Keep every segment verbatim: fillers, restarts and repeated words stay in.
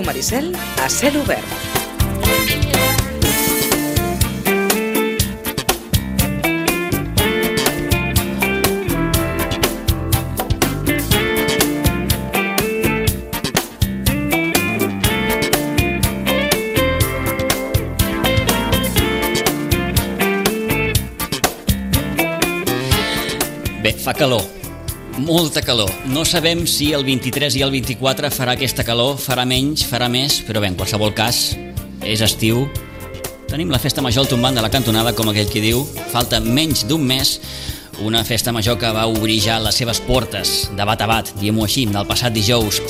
Maricel a cel obert. Bé, fa calor, molta calor. No sabem si el vint-i-tres i el vint-i-quatre farà aquesta calor, farà menys, farà més, però bé, en qualsevol cas, és estiu. Tenim la festa major al tombant de la cantonada, com aquell qui diu, falta menys d'un mes, una festa major que va obrir ja les seves portes de bat a bat, diguem-ho així, del passat dijous,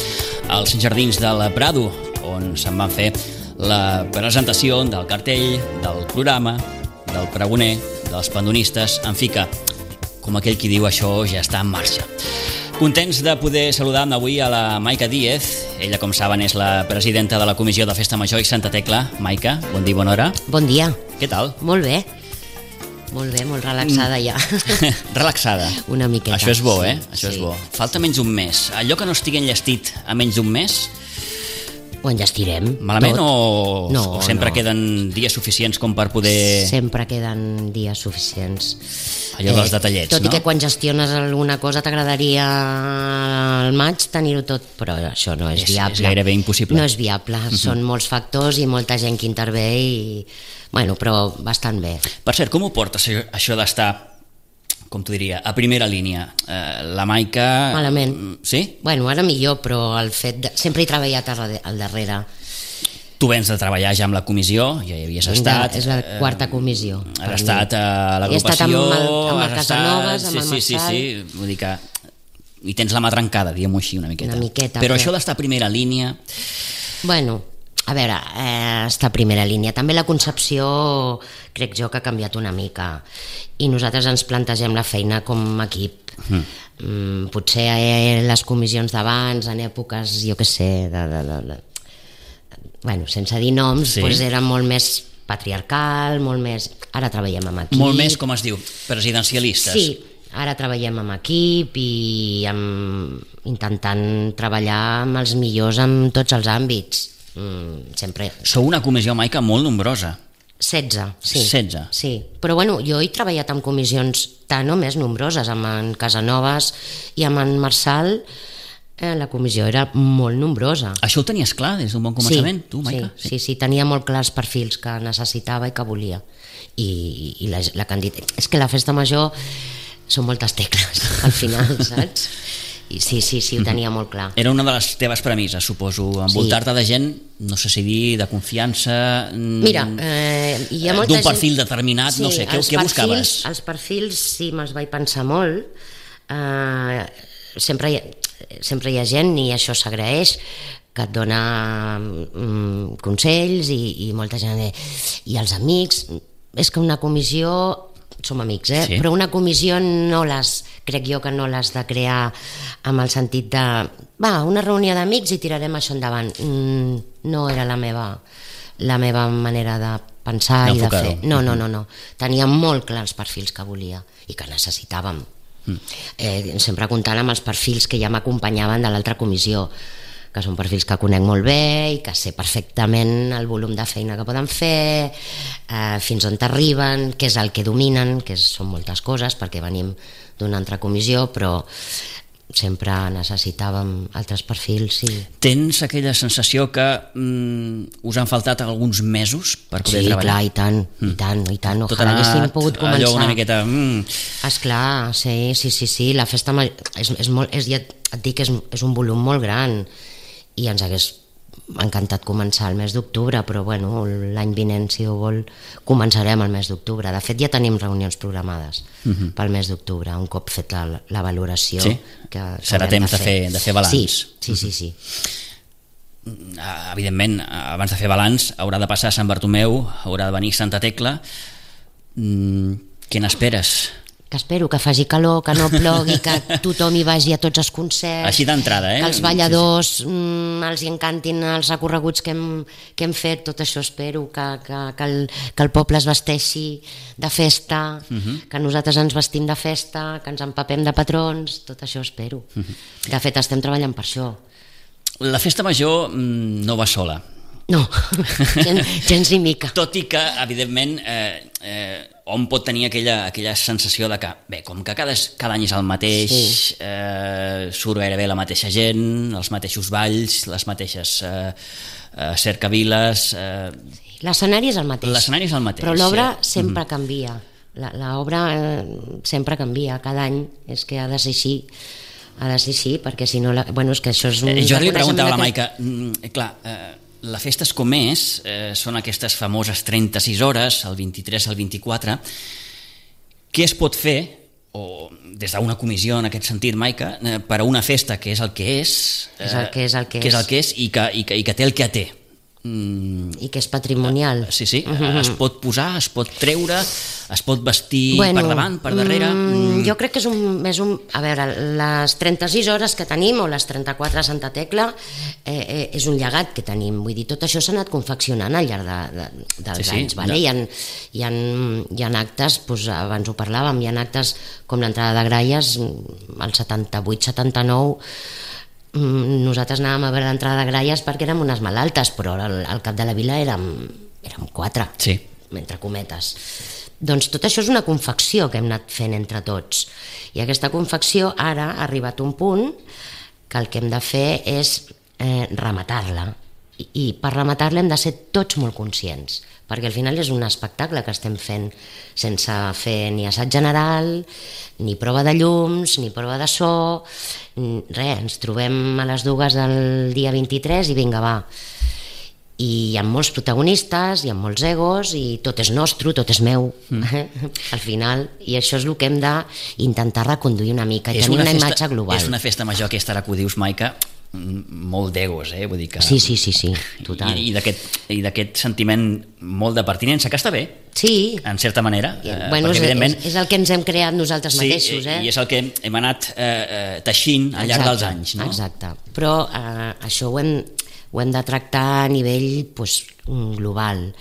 als jardins del Prado, on se'n van fer la presentació del cartell, del programa, del pregoner, dels pandonistes, en fi que, com aquell qui diu, això ja està en marxa. Contents de poder saludar avui a la Maica Díez. Ella, com saben, és la presidenta de la Comissió de Festa Major i Santa Tecla. Maica, bon dia i bona hora. Bon dia. Què tal? Molt bé. Molt bé, molt relaxada ja. Relaxada. Una miqueta. Això és bo, eh? Sí, Això és sí. bo. Falta menys d'un mes. Allò que no estigui enllestit a menys d'un mes, Ho enllestirem. malament tot. o, No, o sempre no. queden dies suficients com per poder... Sempre queden dies suficients. Allò dels detallets, tot no? i que quan gestiones alguna cosa t'agradaria al maig tenir-ho tot, però això no és, És- viable. és gairebé impossible. No és viable, són molts factors i molta gent que intervé i... Bueno, però bastant bé. Per cert, com ho portes, això- això d'estar, com t'ho diria, a primera línia? Eh, la Maica... Malament. Sí? Bueno, ara millor, però el fet de... Sempre he treballat al darrere- al darrere. Tu vens de treballar ja amb la comissió, ja hi havies estat... És la eh, quarta comissió. Has per mi. estat a He estat amb l'agrupació... el, amb el has Casanovas, estat- amb el sí, sí, Marçal. sí, sí, vull dir que... I tens la mà trencada, diguem-ho així, una miqueta. Una miqueta, Però però- això d'estar a primera línia... Bueno, a veure, eh, està a primera línia. També la concepció crec jo que ha canviat una mica i nosaltres ens plantegem la feina com a equip. Mm. Mm, potser eh, les comissions d'abans, en èpoques, jo què sé, de, de, de, de, bueno, sense dir noms, Sí. doncs era molt més patriarcal, molt més... Ara treballem amb equip. Molt més, com es diu, presidencialistes. Sí, ara treballem amb equip i amb, intentant treballar amb els millors en tots els àmbits. Mm, sempre... Sou una comissió, Maica, molt nombrosa. setze, sí. setze. Sí, però bueno, jo he treballat amb comissions tan o més nombroses, amb en Casanovas i amb en Marçal. Eh, la comissió era molt nombrosa. Això ho tenies clar des d'un bon començament, sí, tu, Maica? Sí, sí, sí, tenia molt clars perfils que necessitava i que volia. I, i la, la candidata... És que la festa major són moltes tecles, al final, saps? I sí, sí, sí, ho tenia molt clar. Era una de les teves premisses, suposo, envoltar-te de gent, no sé si dir, de confiança... mm, Mira, eh, hi ha molta d'un gent... perfil determinat, no sé, què, els què buscaves? perfils, els perfils sí, me'ls vaig pensar molt. Eh, sempre, hi ha, sempre hi ha gent, i això s'agraeix, que et dona mm, consells i, i molta gent... I els amics... És que una comissió... Som amics, eh? Sí. Però una comissió no les... Crec jo que no l'has de crear amb el sentit de... Va, una reunió d'amics i tirarem això endavant. Mm, no era la meva, la meva manera de pensar i de D'enfocar-ho. fer. No, no, no, no. Tenia molt clar els perfils que volia i que necessitàvem. Mm. Eh, sempre comptant amb els perfils que ja m'acompanyaven de l'altra comissió, que són perfils que conec molt bé i que sé perfectament el volum de feina que poden fer, eh, fins on t'arriben, què és el que dominen, que són moltes coses, perquè venim d'una altra comissió, però sempre necessitàvem altres perfils. I... Tens aquella sensació que mm, us han faltat alguns mesos per poder Sí, treballar? clar, i tant, i tant, i tant. Tot Ojalà ha anat haguéssim pogut començar. allò una miqueta... Mm, Esclar, sí, sí, sí, sí, la festa ma- és, és molt, és, ja et dic, és, és un volum molt gran i ens hagués encantat començar el mes d'octubre, però bueno, l'any vinent, si ho vol, començarem el mes d'octubre. De fet, ja tenim reunions programades uh-huh. pel mes d'octubre, un cop fet la, la valoració. Sí? Que, que Serà haurem temps de fer, de fer balanç. Sí, sí, sí, sí. Ah, evidentment, abans de fer balanç haurà de passar Sant Bartomeu, haurà de venir Santa Tecla. Mm, què n'esperes? Que espero que faci calor, que no plogui, que tothom hi vagi a tots els concerts. Així d'entrada, eh? Que els balladors sí, sí. Mm, els hi encantin els recorreguts que hem, que hem fet, tot això espero, que, que, que, el, que el poble es vesteixi de festa, uh-huh. que nosaltres ens vestim de festa, que ens empapem de patrons, tot això espero. Uh-huh. De fet, estem treballant per això. La festa major no va sola. No, gens, gens ni mica. Tot i que, evidentment, eh, eh, hom pot tenir aquella, aquella sensació de que, bé, com que cada, cada any és el mateix, sí. eh, surt gairebé la mateixa gent, els mateixos balls, les mateixes eh, eh, cercaviles... Eh, sí, l'escenari és el mateix. L'escenari és el mateix. Però l'obra sí. sempre mm-hmm. canvia. L'obra eh, sempre canvia, cada any és que ha de ser així. Ha de ser així, perquè si no... La... Bueno, és que això és un... Eh, jo li preguntava a la que... Maica, mm, clar... Eh, la festa és com és, eh, són aquestes famoses trenta-sis hores, el vint-i-tres al vint-i-quatre. Què es pot fer, o des d'una comissió en aquest sentit, Maica, eh, per a una festa que és el que és, eh, és el que és el que, que és, és. El que és i, que, i, que, i que té el que té. Mm. I que és patrimonial. Sí, sí, mm-hmm. es pot posar, es pot treure, es pot vestir bueno, per davant, per darrere... Mm, jo crec que és un, és un... A veure, les trenta-sis hores que tenim, o les trenta-quatre a Santa Tecla, eh, eh, és un llegat que tenim. Vull dir, tot això s'ha anat confeccionant al llarg de, de, dels sí, anys. Sí, vale? no. hi, ha, hi, ha, hi ha actes, doncs, abans ho parlàvem, hi ha actes com l'entrada de Gralles, el setanta-vuit setanta-nou, nosaltres anàvem a veure l'entrada de Gralles perquè érem unes malaltes, però al, al cap de la vila érem, érem quatre, sí. entre cometes. Doncs tot això és una confecció que hem anat fent entre tots, i aquesta confecció ara ha arribat a un punt que el que hem de fer és eh, rematar-la, i, i per rematar-la hem de ser tots molt conscients, perquè al final és un espectacle que estem fent sense fer ni assaig general, ni prova de llums, ni prova de so, res, ens trobem a les dues del dia vint-i-tres i vinga, va. I hi ha molts protagonistes, hi ha molts egos, i tot és nostre, tot és meu, mm. al final, i això és el que hem d'intentar reconduir una mica, i tenir una, una festa, imatge global. És una festa major aquesta, ara que ho dius, Maica, molt d'egos, eh? Vull dir que... Sí, sí, sí, sí, total. I, i d'aquest sentiment molt de pertinença, que està bé, sí. en certa manera. I, bueno, és, és, és el que ens hem creat nosaltres sí, mateixos. Eh? I és el que hem anat eh, teixint al llarg exacte, dels anys. No? Exacte, però eh, això ho hem, ho hem de tractar a nivell pues, global.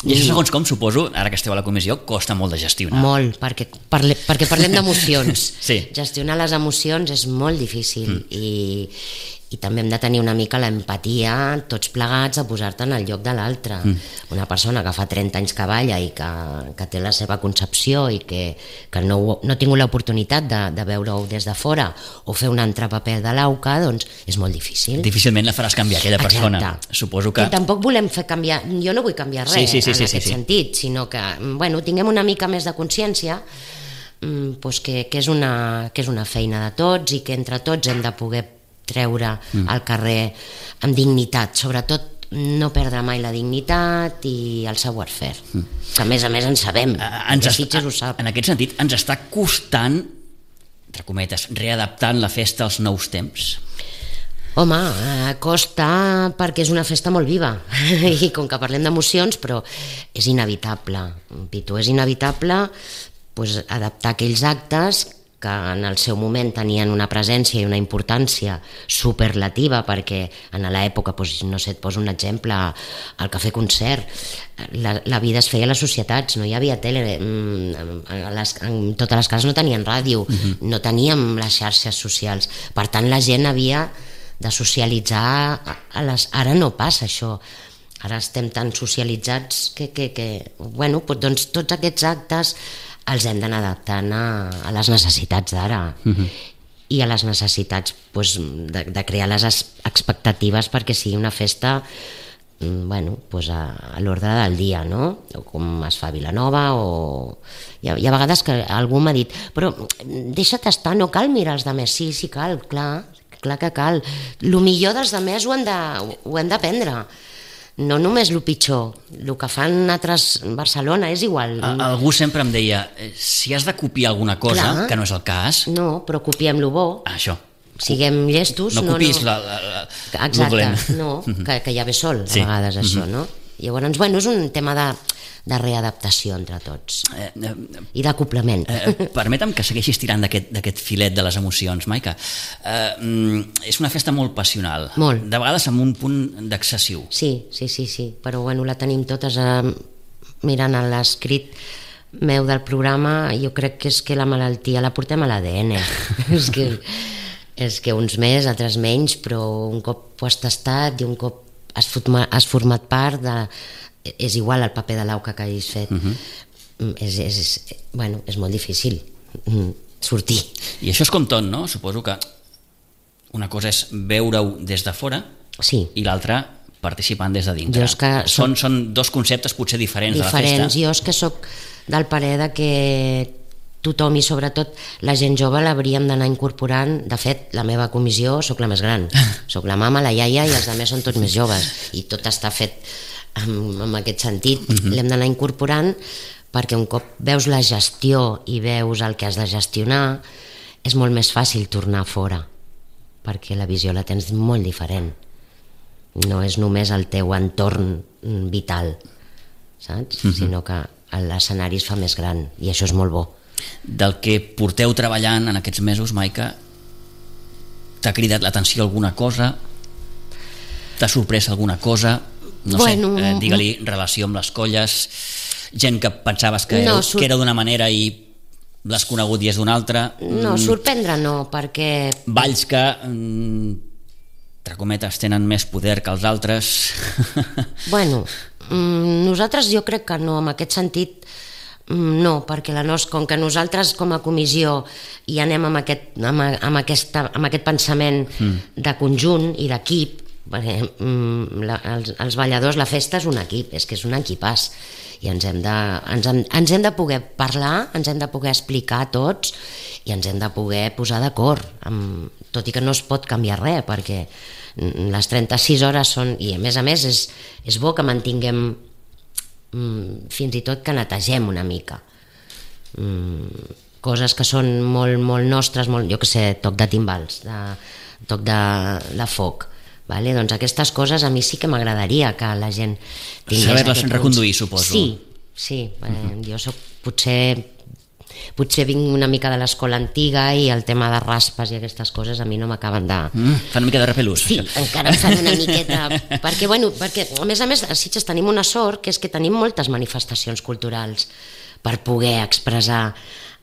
I això, segons com, suposo, ara que esteu a la comissió, costa molt de gestionar. Molt, perquè, parle, perquè parlem d'emocions. Sí. Gestionar les emocions és molt difícil, mm. i, i també hem de tenir una mica l'empatia, tots plegats, a posar-te en el lloc de l'altre. Mm. Una persona que fa trenta anys que balla i que, que té la seva concepció i que, que no, no ha tingut l'oportunitat de, de veure-ho des de fora o fer un altre paper de l'auca, doncs és molt difícil. Difícilment la faràs canviar, aquella persona. Exacte. Suposo que... I tampoc volem fer canviar, jo no vull canviar res sí, sí, sí, en sí, aquest sí, sí. sentit, sinó que, bueno, tinguem una mica més de consciència, doncs que, que, és una, que és una feina de tots i que entre tots hem de poder treure mm. al carrer amb dignitat, sobretot no perdre mai la dignitat i el savoir-faire, mm. que a més a més en sabem, uh, ens Sitges ho sap. En aquest sentit, ens està costant, entre cometes, readaptant la festa als nous temps? Home, eh, costa perquè és una festa molt viva i com que parlem d'emocions, però és inevitable, Pitu, és inevitable pues, adaptar aquells actes que en el seu moment tenien una presència i una importància superlativa, perquè en l'època, doncs, no sé, et poso un exemple, el Cafè Concert, la, la vida es feia a les societats, no hi havia tele, les, en totes les cases no tenien ràdio, uh-huh. no teníem les xarxes socials, per tant la gent havia de socialitzar, a les, ara no passa això, ara estem tan socialitzats que, que, que bueno, doncs tots aquests actes els hem d'anar adaptant a, a les necessitats d'ara uh-huh. i a les necessitats pues, de, de crear les expectatives perquè sigui una festa bueno, pues a, a l'ordre del dia, no? O com es fa a Vilanova, o... Hi ha, hi ha vegades que algú m'ha dit però deixa't estar, no cal mirar els altres. Sí, sí cal, clar, clar que cal. El millor dels altres ho hem de, ho hem d'aprendre. No només el pitjor, el que fan altres Barcelona és igual. Algú sempre em deia, si has de copiar alguna cosa, clar, que no és el cas... No, però copiem lo bo. Això. Siguem llestos. No copiïs no, no. La, la, la, exacte, dolent. No, que, que ja ve sol, a sí. vegades això, no? Llavors, bueno, és un tema de, de readaptació entre tots eh, eh, i d'acoplament. Eh, permetem que segueixis tirant d'aquest filet de les emocions, Maica. Eh, és una festa molt passional, molt. De vegades amb un punt d'excessiu. Sí, sí, sí, sí, però bueno, la tenim totes eh, mirant l'escrit meu del programa, jo crec que és que la malaltia la portem a l'A D N. és que és que uns més, altres menys, però un cop ho has tastat i un cop has format, has format part de... és igual el paper de l'auca que hagis fet. Uh-huh. és, és, bueno, és molt difícil sortir. I això és com tot, no? Suposo que una cosa és veure-ho des de fora, sí, i l'altra participant des de dintre. Soc... Són, són dos conceptes potser diferents, diferents. de la festa. Jo és que sóc del parer de que tothom, i sobretot la gent jove, l'hauríem d'anar incorporant. De fet, la meva comissió sóc la més gran, sóc la mama, la iaia, i els altres són tots més joves, i tot està fet en, en aquest sentit. Uh-huh. L'hem d'anar incorporant perquè un cop veus la gestió i veus el que has de gestionar, és molt més fàcil tornar fora, perquè la visió la tens molt diferent. No és només el teu entorn vital, saps? Uh-huh. Sinó que l'escenari es fa més gran, i això és molt bo. Del que porteu treballant en aquests mesos, Maica, t'ha cridat l'atenció alguna cosa? T'ha sorprès alguna cosa? No bueno, sé, eh, digue-li relació amb les colles, gent que pensaves que, no, sur... que era d'una manera i l'has conegut i és d'una altra. No, sorprendre no, perquè... Balls que, entre cometes, tenen més poder que els altres. Bueno, nosaltres jo crec que no, en aquest sentit no, perquè la nos, com que nosaltres com a comissió hi anem amb aquest, amb, amb aquesta, amb aquest pensament mm. de conjunt i d'equip, perquè la, els, els balladors, la festa és un equip, és que és un equipàs, i ens hem de, ens hem, ens hem de poder parlar, ens hem de poder explicar tots, i ens hem de poder posar d'acord, amb, tot i que no es pot canviar res, perquè les trenta-sis hores són, i a més a més és, és bo que mantinguem, mm, fins i tot que netegem una mica, mm, coses que són molt, molt nostres, molt, jo que sé, toc de timbals, de, toc de, de foc. Vale? Doncs aquestes coses a mi sí que m'agradaria que la gent tingués... Saber-les reconduir, suposo. Sí, sí. Uh-huh. Jo soc, potser, potser vinc una mica de l'escola antiga i el tema de raspes i aquestes coses a mi no m'acaben de... Mm, fan una mica de repelús. Sí, això. Encara em fan una miqueta... perquè, bueno, perquè, a més a més, a Sitges tenim una sort, que és que tenim moltes manifestacions culturals per poder expressar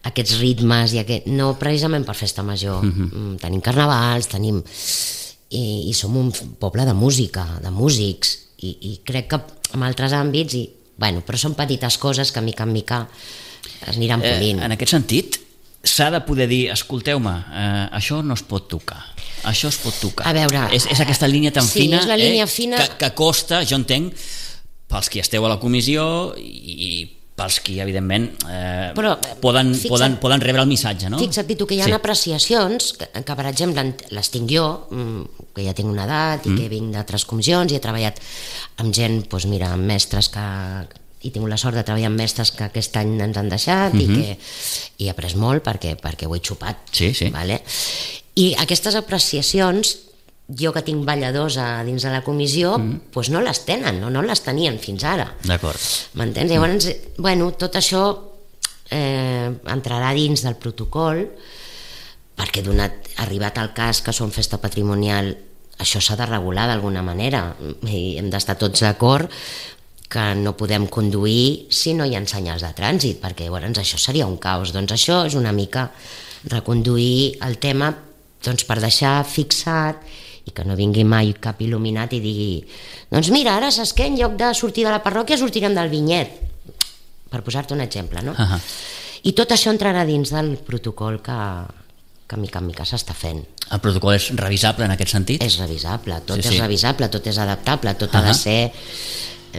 aquests ritmes, i aquest... no precisament per festa major. Uh-huh. Tenim carnavals, tenim... I, i som un poble de música, de músics, i, i crec que en altres àmbits, i, bueno, però són petites coses que mica en mica es aniran polint. Eh, en aquest sentit, s'ha de poder dir, escolteu-me, eh, això no es pot tocar, això es pot tocar. A veure... És, és aquesta línia tan sí, fina, és la línia eh, fina... Que, que costa, jo entenc, pels qui esteu a la comissió i pels qui, evidentment, eh, Però, poden, fixa't, poden, poden rebre el missatge, no? Fixa't, Pitu, que hi ha sí. apreciacions que, que, per exemple, les tinc jo, que ja tinc una edat i mm. que vinc d'altres comissions i he treballat amb gent, doncs mira, amb mestres que... i tinc la sort de treballar amb mestres que aquest any ens han deixat mm-hmm. i que i he après molt perquè, perquè ho he xupat. Sí, sí. Vale? I aquestes apreciacions, jo que tinc balladors a dins de la comissió, mm. doncs no les tenen, no, no les tenien fins ara. D'acord. M'entens? Llavors, bueno, tot això eh, entrarà dins del protocol, perquè donat, arribat al cas que som festa patrimonial, això s'ha de regular d'alguna manera, i hem d'estar tots d'acord que no podem conduir si no hi ha senyals de trànsit, perquè llavors això seria un caos. Doncs això és una mica reconduir el tema, doncs, per deixar fixat i que no vingui mai cap il·luminat i digui, doncs mira, ara saps què, en lloc de sortir de la parròquia sortirem del vinyet, per posar-te un exemple, no? Uh-huh. I tot això entrarà dins del protocol que, que mica en mica s'està fent. El protocol és revisable en aquest sentit? És revisable, tot sí, és sí. revisable, tot és adaptable, tot uh-huh. ha de ser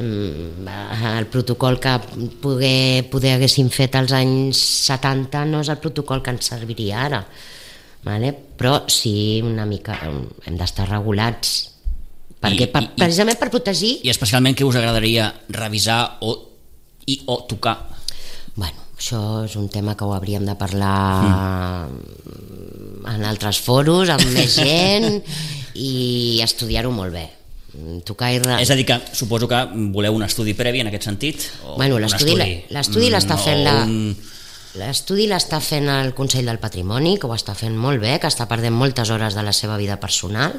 el protocol que poder, poder haguéssim fet als anys setanta no és el protocol que ens serviria ara, vale? Però sí, una mica hem d'estar regulats perquè, I, per, i, precisament per protegir. I especialment què us agradaria revisar o, i, o tocar? Bueno, això és un tema que ho hauríem de parlar mm. en altres foros amb més gent i estudiar-ho molt bé. Tocar i... És a dir, que suposo que voleu un estudi previ en aquest sentit? O bueno, l'estudi l'està fent la... Un... L'estudi l'està fent el Consell del Patrimoni, que ho està fent molt bé, que està perdent moltes hores de la seva vida personal.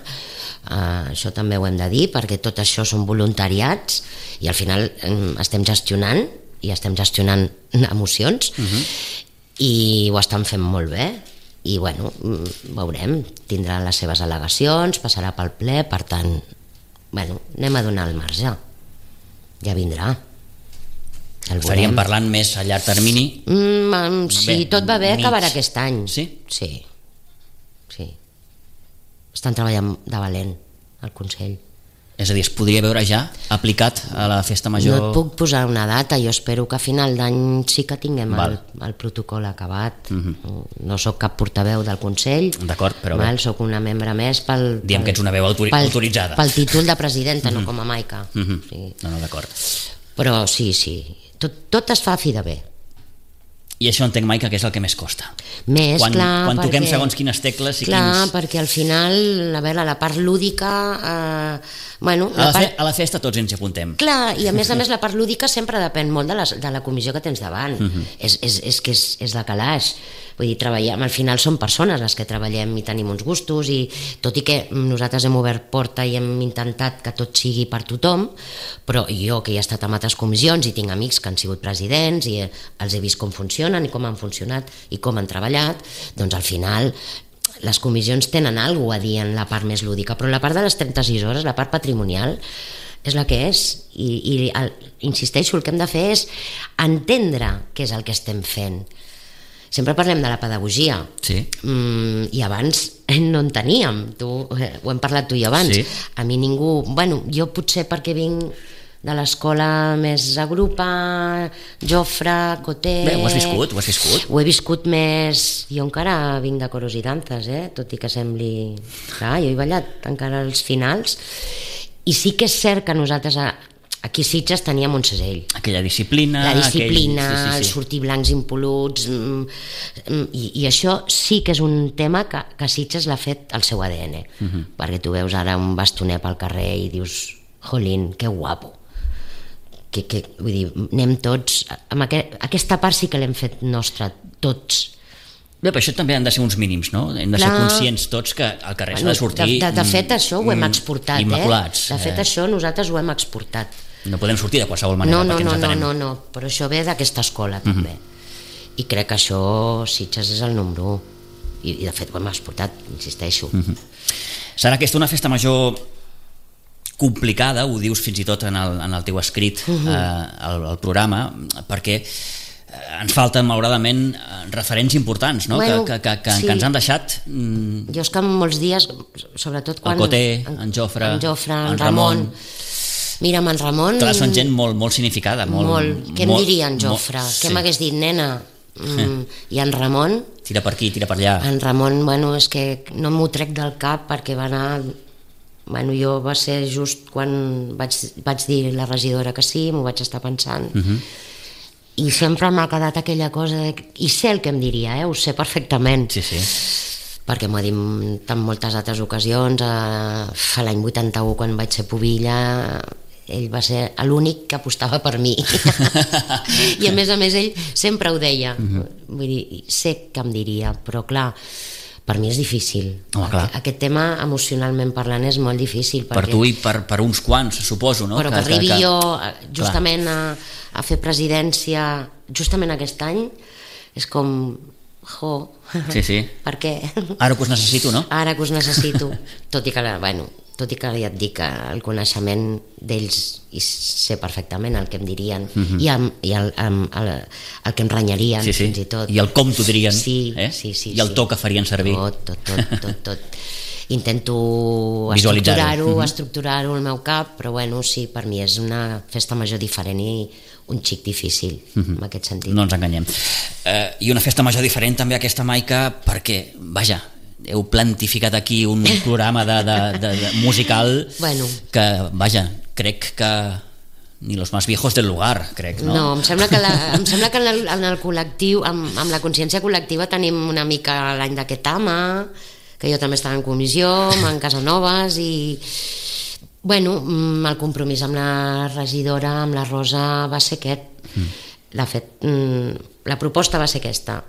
Uh, això també ho hem de dir, perquè tot això són voluntariats i al final um, estem gestionant i estem gestionant emocions uh-huh. i ho estan fent molt bé. i bueno, veurem, tindrà les seves al·legacions, passarà pel ple, per tant, bueno, anem a donar el marge, ja vindrà. Estaríem parlant més a llarg termini? Mm, si tot va bé, acabarà aquest any. Sí? Sí. Sí. Estan treballant de valent al Consell. És a dir, es podria veure ja aplicat a la festa major? No et puc posar una data, jo espero que a final d'any sí que tinguem el, el protocol acabat. Uh-huh. No sóc cap portaveu del Consell. D'acord, però val, bé. Soc una membre més pel... Diem pel, que ets una veu autori pel, autoritzada. Pel títol de presidenta, uh-huh. no com a Maica. Uh-huh. Sí. No, no, d'acord. Però sí, sí, tot, tot es fa a fi de bé. I això entenc, Maica, que és el que més costa. Més, quan, clar, quan toquem perquè, segons quines tecles i clar, quins... perquè al final, a veure, la part lúdica... Eh, bueno, a, la la part... fe, a la festa tots ens hi apuntem. Clar, i a més a més la part lúdica sempre depèn molt de la, de la comissió que tens davant. Uh-huh. és, és, és que és, és de calaix. Vull dir, treballem, al final són persones les que treballem i tenim uns gustos, i tot i que nosaltres hem obert porta i hem intentat que tot sigui per tothom, però jo que he estat en altres comissions i tinc amics que han sigut presidents i els he vist com funcionen i com han funcionat i com han treballat, doncs al final les comissions tenen alguna cosa a dir en la part més lúdica, però la part de les trenta-sis hores, la part patrimonial, és la que és, i, i el, insisteixo, el que hem de fer és entendre què és el que estem fent. Sempre parlem de la pedagogia, sí. mm, i abans no en teníem, tu, eh, ho hem parlat tu i abans, sí. A mi ningú, bueno, jo potser perquè vinc de l'escola més agrupa, Jofre, Coté... Bé, ho has viscut, ho has viscut. Ho he viscut més... Jo encara vinc de coros i danses, eh? Tot i que sembli... Clar, jo he ballat encara als finals, i sí que és cert que nosaltres aquí a Sitges teníem un segell. Aquella disciplina... La disciplina, aquell... sí, sí, sí. el sortir blancs impol·luts, i, i això sí que és un tema que, que Sitges l'ha fet el seu A D N, uh-huh. perquè tu veus ara un bastoner pel carrer i dius, jolín, que guapo. Que, que, vull dir, anem tots amb aquest, aquesta part sí que l'hem fet nostra, tots. Bé, però això també han de ser uns mínims, no? Hem de Clar. ser conscients tots que al carrer bueno, s'ha de sortir... De, de, de fet, això ho hem exportat, immaculats. Eh? De fet, eh? això nosaltres ho hem exportat. No podem sortir de qualsevol manera, no, no, perquè no, ens atenem. No, no, no, però això ve d'aquesta escola, també. Uh-huh. I crec que això, Sitges és el número u. I, i de fet, ho hem exportat, insisteixo. Uh-huh. Serà aquesta una festa major... complicada, ho dius fins i tot en el, en el teu escrit uh-huh. eh, al, al programa, perquè ens falten malauradament referents importants, no? Bueno, que, que, que, sí. que ens han deixat mm... jo és que molts dies, sobretot quan el Coté, en, en Jofre, en, Jofre, en, en Ramon, Ramon. Mira, amb en Ramon clar, són gent molt, molt significada, molt, molt. Què em molt, diria en Jofre? Molt, què sí. m'hagués dit, nena? Mm, i en Ramon tira per aquí, tira per allà. En Ramon, bueno, és que no m'ho trec del cap perquè va anar... Bueno, jo va ser just quan vaig, vaig dir la regidora que sí, m'ho vaig estar pensant, uh-huh. i sempre m'ha quedat aquella cosa de... i sé el que em diria, eh? Ho sé perfectament, sí, sí. perquè m'ho ha dit en moltes altres ocasions. A l'any vuitanta-u, quan vaig ser pubilla, ell va ser l'únic que apostava per mi i a més a més ell sempre ho deia, uh-huh. vull dir, sé que em diria, però clar, per mi és difícil. Oh, aquest tema, emocionalment parlant, és molt difícil. Per tu i per, per uns quants, suposo, no? Però que, que arribi que, que... jo justament a, a fer presidència justament aquest any, és com... Jo, sí, sí. per què? Ara que us necessito, no? Ara que us necessito, tot i que, bueno, tot i que ja et dic que el coneixement d'ells i sé perfectament el que em dirien, uh-huh. i, el, i el, el, el, el que em renyarien, sí, sí. fins i tot. I el com t'ho dirien, sí, eh? sí, sí, i el to sí. que farien servir. Tot, tot, tot, tot, tot. Intento estructurar-ho, uh-huh. estructurar-ho al meu cap, però bueno, sí, per mi és una festa major diferent i un xic difícil, uh-huh. en aquest sentit. No ens enganyem. Uh, I una festa major diferent també aquesta, Maica, perquè, vaja, heu plantificat aquí un programa de, de, de, de musical bueno. que, vaja, crec que ni los más viejos del lugar, crec, no? No, em sembla que, la, em sembla que en, el, en el col·lectiu, amb, amb la consciència col·lectiva tenim una mica l'any d'aquest ama, que jo també estava en comissió, en Casanovas, i bueno, el compromís amb la regidora, amb la Rosa, va ser aquest. Mm. La, fet, la proposta va ser aquesta.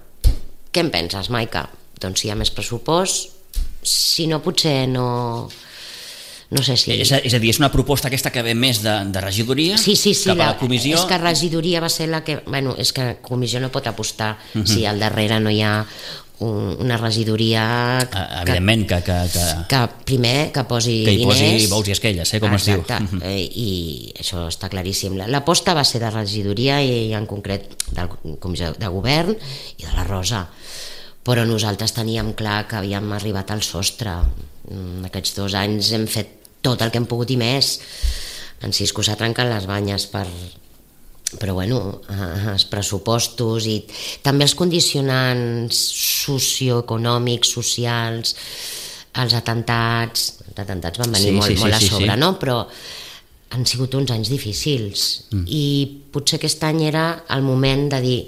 Què en penses, Maica? Doncs si hi ha més pressupost, si no, potser no... No sé si... És a, és a dir, és una proposta aquesta que ve més de, de regidoria sí, sí, sí, cap a la, la comissió? És que regidoria va ser la que... Bueno, és que comissió no pot apostar uh-huh. si al darrere no hi ha un, una regidoria uh, evidentment que, que, que, que primer que posi que hi diners, posi bous i esquelles, eh, com exacte, es diu. eh, i això està claríssim. L'aposta va ser de regidoria i en concret del comissió de govern i de la Rosa, però nosaltres teníem clar que havíem arribat al sostre. En aquests dos anys hem fet tot el que hem pogut i més. En Cisco s'ha trencat les banyes per... però bueno, els pressupostos i també els condicionants socioeconòmics, socials, els atentats, els atentats van venir sí, molt, sí, molt sí, a sí, sobre, sí. no? Però han sigut uns anys difícils mm. i potser aquest any era el moment de dir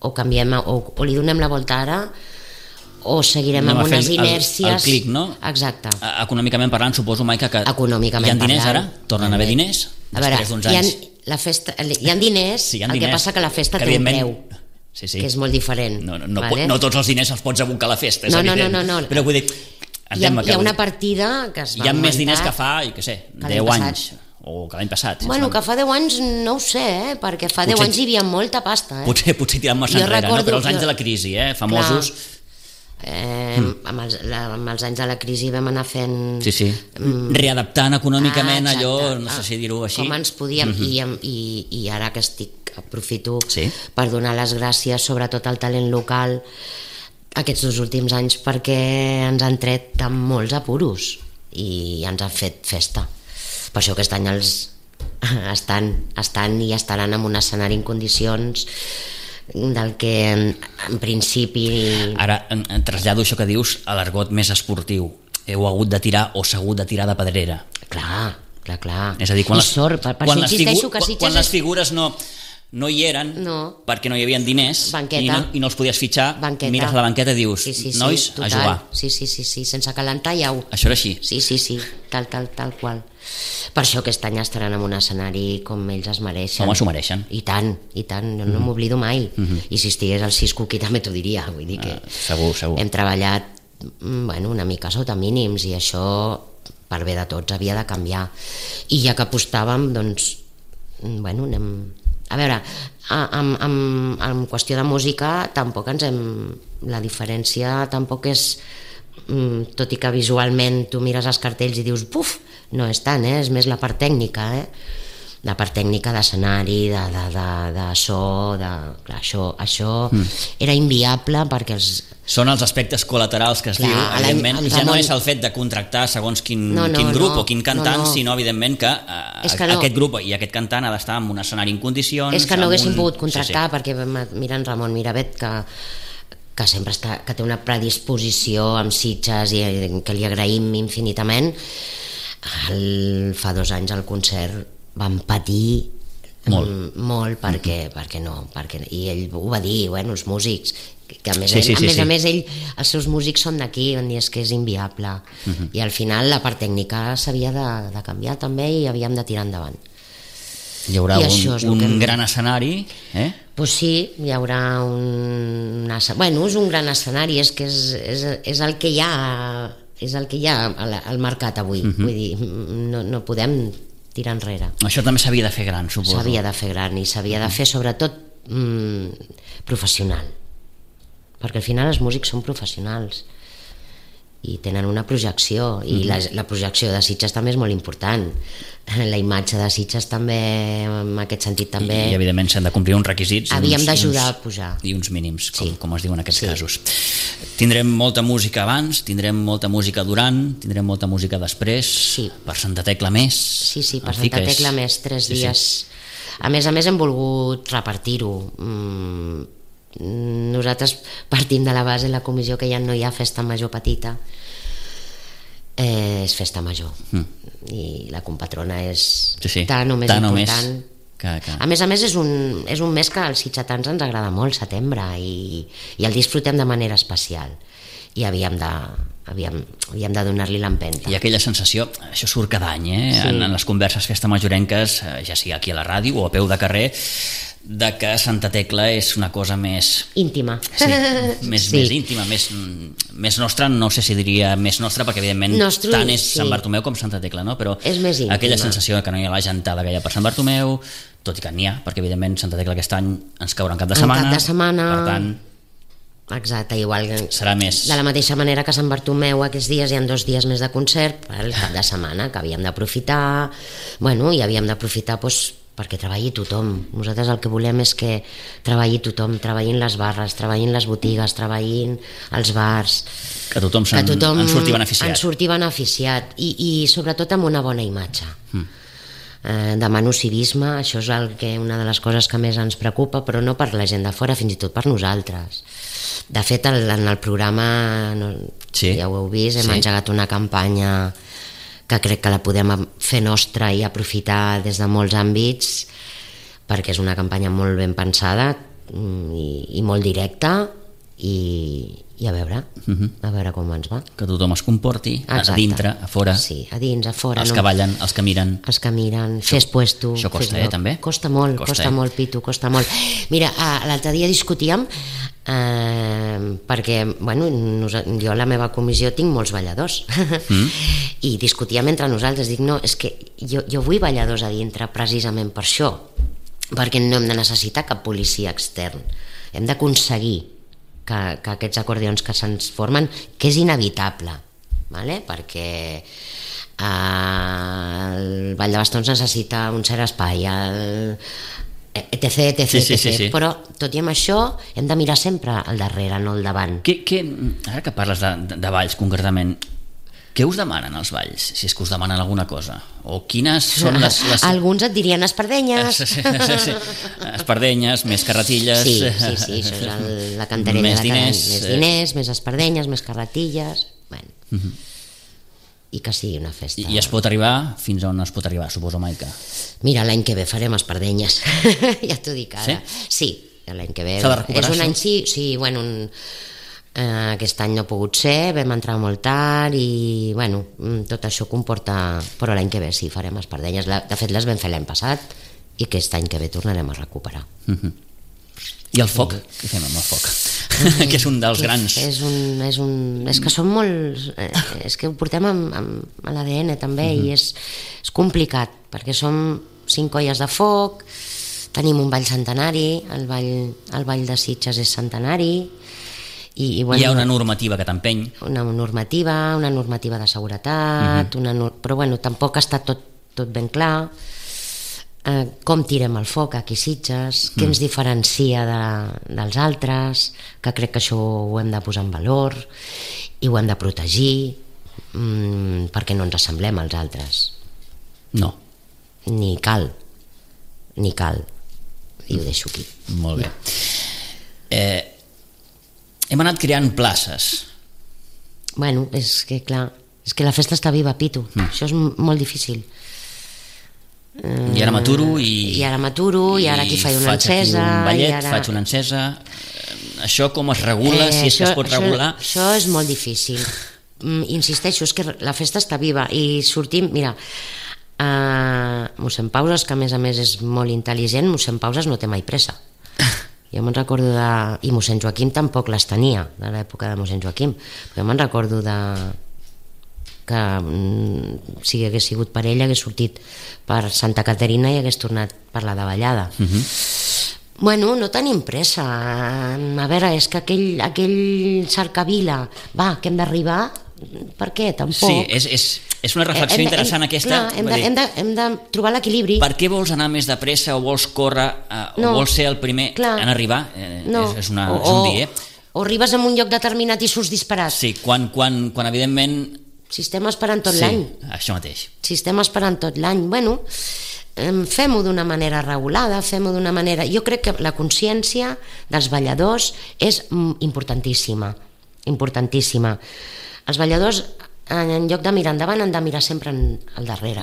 o canviem, o, o li donem la volta ara o seguirem Anem amb unes el, inèrcies... El clic, no? Exacte. Econòmicament parlant, suposo, Maica, que Econòmicament hi ha diners parlant, ara? Tornen a haver diners? A veure, Després d'uns hi ha, anys... la festa, hi ha diners, sí, hi ha el diners, que passa que la festa que té un preu, sí, sí. que és molt diferent. No, no, no, vale? no tots els diners els pots abocar a la festa, és no, no, evident. no, no, no. Però vull dir... Hi ha, hi ha una partida que es va hi ha augmentar, més diners que fa, i què sé, deu anys, o que l'any passat. Bueno, que fa deu anys no ho sé, eh? perquè fa potser, deu anys hi havia molta pasta. Eh? Potser, potser tirant massa enrere, no? Però els anys de la crisi, eh? famosos... Clar. Eh, mm. amb, els, la, amb els anys de la crisi vam anar fent sí, sí. Mm, readaptant econòmicament ah, allò, no sé si dir-ho així, com ens podíem, mm-hmm. i, i, i ara que estic aprofito sí. per donar les gràcies sobretot al talent local aquests dos últims anys, perquè ens han tret de molts apuros i ens han fet festa. Per això aquest any els estan, estan i estaran en un escenari en condicions del que en, en principi... Ara en, en trasllado això que dius a l'argot més esportiu. Heu hagut de tirar o s'ha hagut de tirar de pedrera. Clar, clar, clar. És a dir, quan, les, sort, per, per quan, les, figu que quan les figures no, no hi eren, no. perquè no hi havia diners i no, i no els podies fitxar, banqueta. Mires a la banqueta i dius, sí, sí, sí, nois, total. A jugar. Sí, sí, sí, sí, sense calentar ja ho... Això era així? Sí, sí, sí, tal, tal, tal qual. Per això aquest any estaran en un escenari com ells es mereixen. Home, s'ho mereixen. I tant, i tant, no, no m'oblido mai. Mm-hmm. I si estigués al Cisco aquí també t'ho diria, vull dir que... Ah, segur, segur. Hem treballat, bueno, una mica sota mínims i això, per bé de tots, havia de canviar. I ja que apostàvem, doncs, bueno, anem... A veure, en, en, en qüestió de música tampoc ens hem... La diferència tampoc és... Tot i que visualment tu mires els cartells i dius, buf, no és tant, eh? És més la part tècnica, eh? La part tècnica d'escenari, de, de, de, de so, de... Clar, això, això mm. era inviable perquè els... Són els aspectes col·laterals que es Clar, diu, evidentment, ja Ramon... no és el fet de contractar segons quin, no, no, quin grup no, o quin cantant, no, no. sinó evidentment que, eh, que no. aquest grup i aquest cantant ha d'estar en un escenari en condicions... És que no haguéssim un... pogut contractar, sí, sí. perquè mira en Ramon Miravet que... que sempre està, que té una predisposició amb Sitges i que li agraïm infinitament. El, fa dos anys al concert van patir molt, molt perquè, mm-hmm. perquè no, perquè, i ell ho va dir, bueno, els músics, que a més, sí, ell, sí, a, sí, més sí. a més ell, els seus músics són d'aquí, on és que és inviable, mm-hmm. i al final la part tècnica s'havia de, de canviar també i havíem de tirar endavant. Hi haurà un, un hem... gran escenari, eh? Pues sí, hi haurà un... Bueno, és un gran escenari, és que és, és, és el que hi ha, és el que hi ha al, al mercat avui. Uh-huh. Vull dir, no, no podem tirar enrere. Això també s'havia de fer gran, suposo. S'havia de fer gran i s'havia de fer sobretot mm, professional. Perquè al final els músics són professionals i tenen una projecció i la, la projecció de Sitges també és molt important, la imatge de Sitges també en aquest sentit també i, i evidentment s'han de complir uns requisits havíem d'ajudar a pujar i uns mínims com, sí. com es diu en aquests sí. casos. Tindrem molta música abans, tindrem molta música durant, tindrem molta música després, sí. per Santa Tecla més, sí, sí, per Santa Tecla és... més, tres sí, dies sí. A més a més hem volgut repartir-ho. mm, nosaltres partim de la base, la comissió, que ja no hi ha festa major petita, eh, és festa major mm. i la compatrona és sí, sí. tan o més tan important més que, que... a més a més és un, és un mes que als sitgetans ens agrada molt, setembre, i, i el disfrutem de manera especial i havíem de, havíem, havíem de donar-li l'empenta. I aquella sensació, això surt cada any, eh? Sí. en, en les converses festa majorenques, ja sigui aquí a la ràdio o a peu de carrer, de que Santa Tecla és una cosa més... íntima. Sí, més, sí. més íntima, més, més nostra, no sé si diria més nostra, perquè evidentment Nostru, tant és sí. Sant Bartomeu com Santa Tecla, no? Però és més íntima. Aquella sensació que no hi ha la gentada que hi ha per Sant Bartomeu, tot i que n'hi ha, perquè evidentment Santa Tecla aquest any ens caurà en cap de setmana, cap de setmana. Per tant, Exacte, igual que... Serà més... De la mateixa manera que Sant Bartomeu aquests dies hi ha dos dies més de concert per el cap de setmana, que havíem d'aprofitar, bueno, i havíem d'aprofitar doncs, perquè treballi tothom. Nosaltres el que volem és que treballi tothom, treballin les barres, treballin les botigues, treballin els bars... Que tothom, que tothom en surti beneficiat. En surti beneficiat, i, i sobretot amb una bona imatge. Mm. Eh, demano civisme, això és el que, una de les coses que més ens preocupa, però no per la gent de fora, fins i tot per nosaltres. De fet, el, en el programa, no, sí. ja ho heu vist, hem sí. engegat una campanya que crec que la podem fer nostra i aprofitar des de molts àmbits, perquè és una campanya molt ben pensada i, i molt directa, i, i a veure, uh-huh. a veure com ens va. Que tothom es comporti, Exacte. A dintre, a fora. Sí, a dins, a fora. Els no? que ballen, els que miren. Els que miren, això, fes puesto. Això costa, fes eh, també? Costa molt, costa, costa eh? molt, Pitu, costa molt. Mira, l'altre dia discutíem, eh, perquè, bueno, jo a la meva comissió tinc molts balladors, mm. i discutíem entre nosaltres, dic, no, és que jo, jo vull balladors a dintre precisament per això, perquè no hem de necessitar cap policia extern, hem d'aconseguir que, que aquests acordions que se'ns formen, que és inevitable, vale? Perquè eh, el Ball de Bastons necessita un cert espai, el, etc, etc, sí, sí, etc. Sí, sí. Però tot i amb això hem de mirar sempre al darrere, no al davant. Que, que, ara que parles de, de, de balls concretament, què us demanen els balls, si és que us demanen alguna cosa? O quines són les... les... Alguns et dirien espardenyes. Sí, sí, sí, sí. Espardenyes, més carretilles... Sí, sí, sí, això és el, la cantarella més de diners, cada... Més diners, més espardenyes, més carretilles... Bueno. Uh-huh. I que sigui una festa. I, I es pot arribar fins on es pot arribar, suposo, Maica? Mira, l'any que ve farem espardenyes. Ja t'ho dic ara. Sí? Sí, l'any que ve... S'ha de recuperar, és un això? any, sí, sí, bueno... Un... Uh, aquest any no ha pogut ser, vam entrar molt tard i bueno, tot això comporta, però l'any que ve sí, farem espardenyes. De fet les vam fer l'any passat i aquest any que ve tornarem a recuperar. Uh-huh. I el foc? Sí. Què fem amb el foc? Eh, que és un dels grans... És, un, és, un, és que són molt... Eh, és que ho portem amb, amb, a l'A D N també, uh-huh. i és, és complicat perquè som cinc colles de foc, tenim un ball centenari, el ball, el ball de Sitges és centenari. I, i, bueno, hi ha una normativa que t'empeny. Una normativa, una normativa de seguretat, uh-huh. una, però bueno, tampoc està tot, tot ben clar. Eh, com tirem el foc aquí a Sitges, uh-huh. què ens diferencia de, dels altres, que crec que això ho hem de posar en valor i ho hem de protegir, mmm, perquè no ens assemblem als altres. No. Ni cal, ni cal. I ho deixo aquí. Molt bé. Eh... Hem anat creant places. Bueno, és que clar, és que la festa està viva, Pitu. Mm. Això és molt difícil. I ara m'aturo i... I ara m'aturo, i, i ara aquí faig una encesa... Faig un ballet, ara... faig una encesa... Això com es regula, eh, si és això, que es pot això, regular... Això és molt difícil. Mm, insisteixo, és que la festa està viva i sortim... Mira, uh, mossèn Pauses, que a més a més és molt intel·ligent, mossèn Pauses no té mai pressa. Jo me'n recordo de... I mossèn Joaquim tampoc les tenia, de l'època de mossèn Joaquim. Però jo me'n recordo de... que si hagués sigut per ell hagués sortit per Santa Caterina i hagués tornat per la davallada. Uh-huh. Bueno, no tenim pressa. A veure, és que aquell, aquell cercavila, va, que hem d'arribar... Per què? Tampoc. Sí, és, és, és una reflexió hem, interessant hem, aquesta. Clar, hem, de, hem, de, hem de trobar l'equilibri. Per què vols anar més de pressa o vols córrer eh, no, o vols ser el primer clar, en arribar? Eh, no, és, és, una, o, és un dir, eh? O arribes a un lloc determinat i surts disparat. Sí, quan, quan, quan evidentment... Si estem esperant tot sí, l'any. Això mateix. Si estem esperant tot l'any, bueno, fem-ho d'una manera regulada, fem-ho d'una manera... Jo crec que la consciència dels balladors és importantíssima, importantíssima. Els balladors, en lloc de mirar endavant, han de mirar sempre al darrere.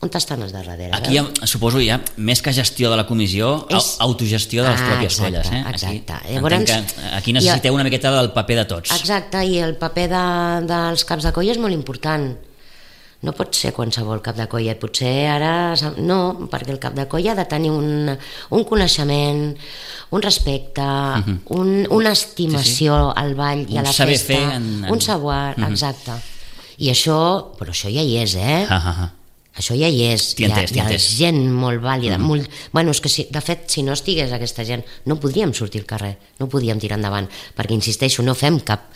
On estan els darrere? Aquí hi ha, suposo hi ha, més que gestió de la comissió, és... autogestió de les ah, pròpies exacte, colles. Eh? Exacte. Aquí, Llavors, que aquí necessiteu una miqueta del paper de tots. Exacte, i el paper de, dels caps de colla és molt important. No pot ser qualsevol cap de colla, potser ara... No, perquè el cap de colla ha de tenir un, un coneixement, un respecte, uh-huh. un, una estimació sí, sí. al ball i un a la saber festa. Fer en, en... Un saber, uh-huh. exacte. I això, però això ja hi és, eh? Uh-huh. Això ja hi és, hi ha, hi ha gent molt vàlida, mm. molt... Bueno, és que si, de fet, si no estigués aquesta gent, no podríem sortir al carrer, no podríem tirar endavant, perquè, insisteixo, no fem cap,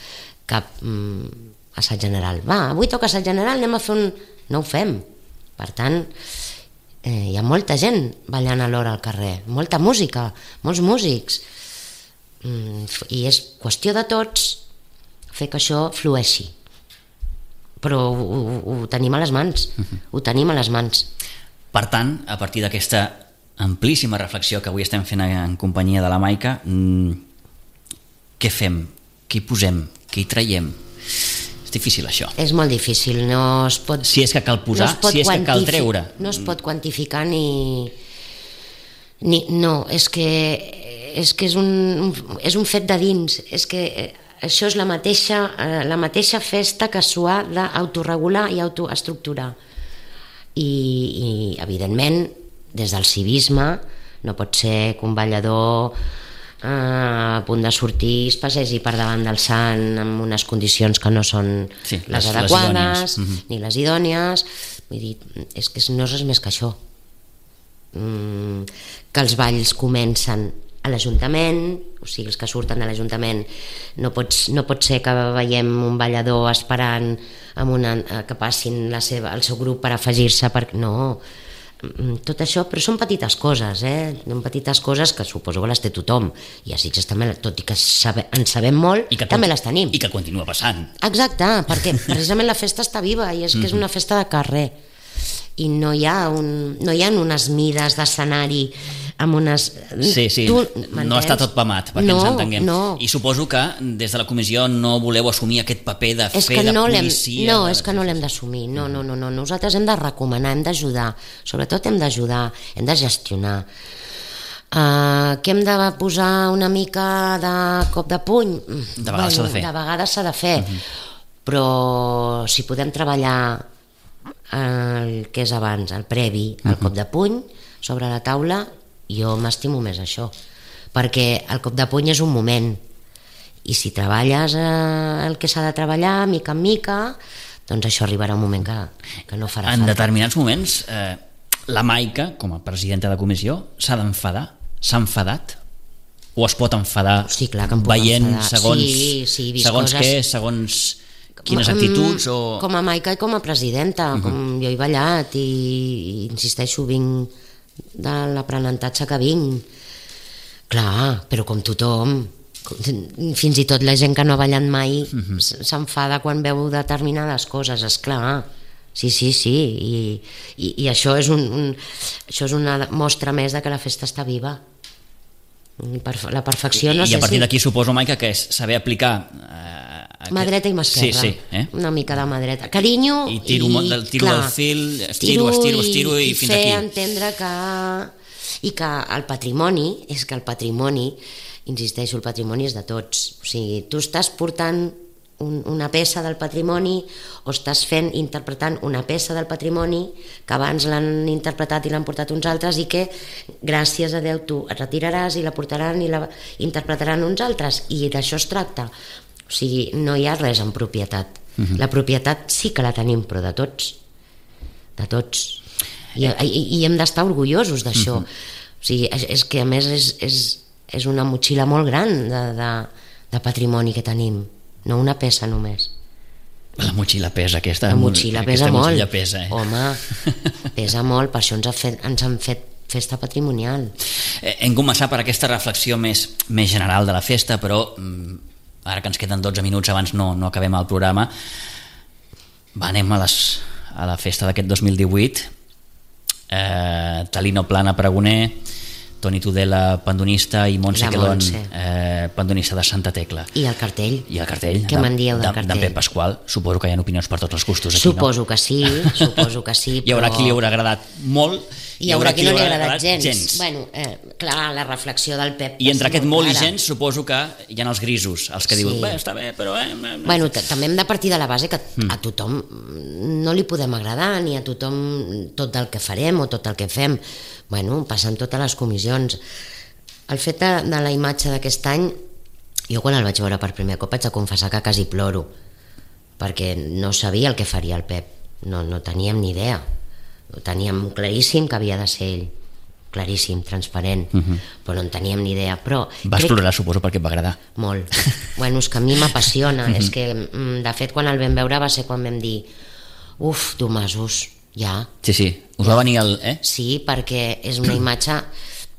cap mm, assaig general. Va, avui toca assaig general, anem a fer un... No ho fem. Per tant, eh, hi ha molta gent ballant alhora al carrer, molta música, molts músics, mm, i és qüestió de tots fer que això flueixi. Però ho, ho, ho tenim a les mans, uh-huh. ho tenim a les mans. Per tant, a partir d'aquesta amplíssima reflexió que avui estem fent en companyia de la Maica, mmm, què fem? Què hi posem? Què hi traiem? És difícil això. És molt difícil, no es pot... Si és que cal posar, no si és que cal treure. No es pot quantificar ni... ni no, és que és, que és, un, és un fet de dins, és que... Això és la mateixa, eh, la mateixa festa que s'ho ha d'autoregular i autoestructurar. I, I, evidentment, des del civisme, no pot ser que un ballador eh, a punt de sortir es passegi per davant del sant en unes condicions que no són sí, les, les adequades, les uh-huh. ni les idònies. Vull dir, és que no és res més que això. Mm, que els balls comencen a l'Ajuntament, o sigui, els que surten de l'Ajuntament, no, pots, no pot ser que veiem un ballador esperant amb una, que passin la seva, el seu grup per afegir-se, per... no, tot això, però són petites coses, eh? Són petites coses que suposo que les té tothom, i a Sitges també, tot i que sabe, en sabem molt, I que, també les tenim. I que continua passant. Exacte, perquè precisament la festa està viva, i és que és una festa de carrer, i no hi ha, un, no hi ha unes mides d'escenari amb unes... Sí, sí, tu, no està tot pamat, perquè no, ens entenguem. No. I suposo que des de la comissió no voleu assumir aquest paper de és fer de no policia... No, és que no l'hem d'assumir, no, no, no, no, nosaltres hem de recomanar, hem d'ajudar, sobretot hem d'ajudar, hem de gestionar. Uh, que hem de posar una mica de cop de puny? De vegades s'ha de fer. De vegades s'ha de fer, uh-huh. però si podem treballar el que és abans, el previ, el uh-huh. cop de puny, sobre la taula, jo m'estimo més això, perquè el cop de puny és un moment, i si treballes eh, el que s'ha de treballar mica en mica, doncs això arribarà un moment que, que no farà en falta. Determinats moments eh, la Maica, com a presidenta de comissió, s'ha d'enfadar, s'ha enfadat o es pot enfadar sí, clar que em puc veient enfadar. segons, sí, sí, segons coses... què, segons quines actituds o... Com a Maica i com a presidenta, uh-huh. com jo he ballat i, i insisteixo, vinc de l'aprenentatge que vinc, clar, però com tothom, fins i tot la gent que no ha ballat mai uh-huh. s'enfada quan veu determinades coses, esclar, sí, sí, sí, i, i, i això és un, un això és una mostra més de que la festa està viva. La perfecció no I, sé i a partir si... d'aquí suposo, Maica, que és saber aplicar eh, aquest... mà dreta i mà esquerra, sí, sí, eh? una mica de mà dreta, carinyo i tiro, i, del, tiro clar, del fil, estiro, estiro, estiro i, i fins aquí. I fer entendre que i que el patrimoni és que el patrimoni, insisteixo, el patrimoni és de tots, o sigui, tu estàs portant un, una peça del patrimoni o estàs fent, interpretant una peça del patrimoni que abans l'han interpretat i l'han portat uns altres i que gràcies a Déu tu et retiraràs i la portaran i la interpretaran uns altres, i d'això es tracta. O sigui, no hi ha res en propietat. Uh-huh. La propietat sí que la tenim, però de tots. De tots. I, i, i hem d'estar orgullosos d'això. Uh-huh. O sigui, és, és que a més és, és, és una motxilla molt gran de, de, de patrimoni que tenim, no una peça només. La motxilla pesa, aquesta, la motxilla aquesta pesa motxilla molt. Pesa, eh? Home, pesa molt, per això ens, ha fet, ens han fet festa patrimonial. Eh, hem començat per aquesta reflexió més, més general de la festa, però ara que ens queden dotze minuts abans no, no acabem el programa. Va, anem a, les, a la festa d'aquest dos mil divuit. eh, Talino Plana, pregoner, Toni Tudela, pandonista, i Montse Quelón, eh, pandonista de Santa Tecla. I el cartell. I el cartell. Què me'n dieu del de, cartell? D'en Pep Pasqual. Suposo que hi ha opinions per tots els gustos aquí, suposo no? que sí, suposo que sí. Hi haurà però... qui li haurà agradat molt, hi haurà qui no li ha agradat gens. gens. Bueno, eh, clar, la reflexió del Pep... I entre aquest molt clara. I gens suposo que hi ha els grisos, els que sí. diuen, bé, està bé, però... Eh, eh, bueno, també hem de partir de la base que a tothom no li podem agradar, ni a tothom tot el que farem o tot el que fem. Bueno, passen totes les comissions. El fet de, de la imatge d'aquest any, jo quan el vaig veure per primer cop vaig a confessar que quasi ploro, perquè no sabia el que faria el Pep, no, no teníem ni idea. Ho teníem claríssim que havia de ser ell, claríssim, transparent, uh-huh. però no en teníem ni idea. Però vas crec... plorar, suposo, perquè et va agradar. Molt. Bueno, és que a mi m'apassiona. Uh-huh. És que, de fet, quan el vam veure va ser quan vam dir uf, Domasos, ja. Sí, sí, us va venir el... Eh? Sí, perquè és una imatge...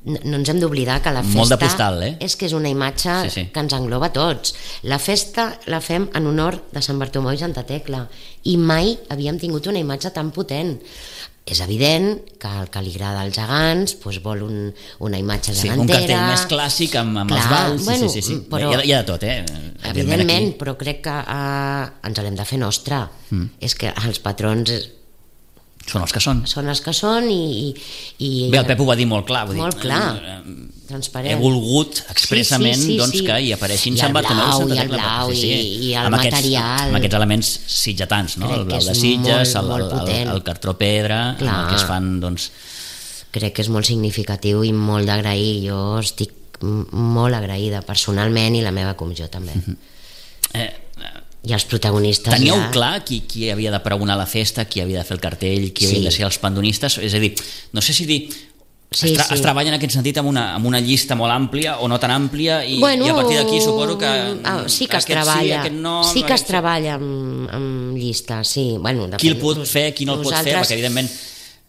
No ens hem d'oblidar que la festa... Molt de postal, eh? És que és una imatge sí, sí. que ens engloba a tots. La festa la fem en honor de Sant Bartomeu i Santa Tecla i mai havíem tingut una imatge tan potent. És evident que el que li agrada als gegants doncs vol un, una imatge gegantera. Sí, un cartell més clàssic amb, amb Clar, els balls. Bueno, sí, sí, sí. Però, hi, ha, hi ha de tot, eh? Evidentment, aquí. Però crec que uh, ens l'hem de fer nostra. Mm. És que els patrons... Són els que són. Són els que són i... i Bé, el Pep ho va dir molt clar. Molt dir, clar, eh, transparent. He volgut expressament sí, sí, sí, doncs, sí. que hi apareixin I Sant Bartomeu i Santa Tecla. I el blau, sí, sí. I, i el amb material. Aquests, amb aquests elements sitgetans, no? El blau de Sitges, molt, molt el, el, el cartró pedra, amb el que es fan, doncs... Crec que és molt significatiu i molt d'agrair. Jo estic molt agraïda personalment i la meva comissió també. Mm-hmm. Eh, i els protagonistes teníeu ja... clar qui, qui havia de pregonar la festa, qui havia de fer el cartell, qui sí. havia de ser els pandonistes? És a dir, no sé si dir sí, es, tra sí. es treballa en aquest sentit amb una, amb una llista molt àmplia o no tan àmplia i, bueno, i a partir d'aquí suposo que ah, sí que es treballa sí, no, sí que es treballa amb, amb llista sí. Bueno, depèn, qui el pot fer, qui no el pot fer, perquè evidentment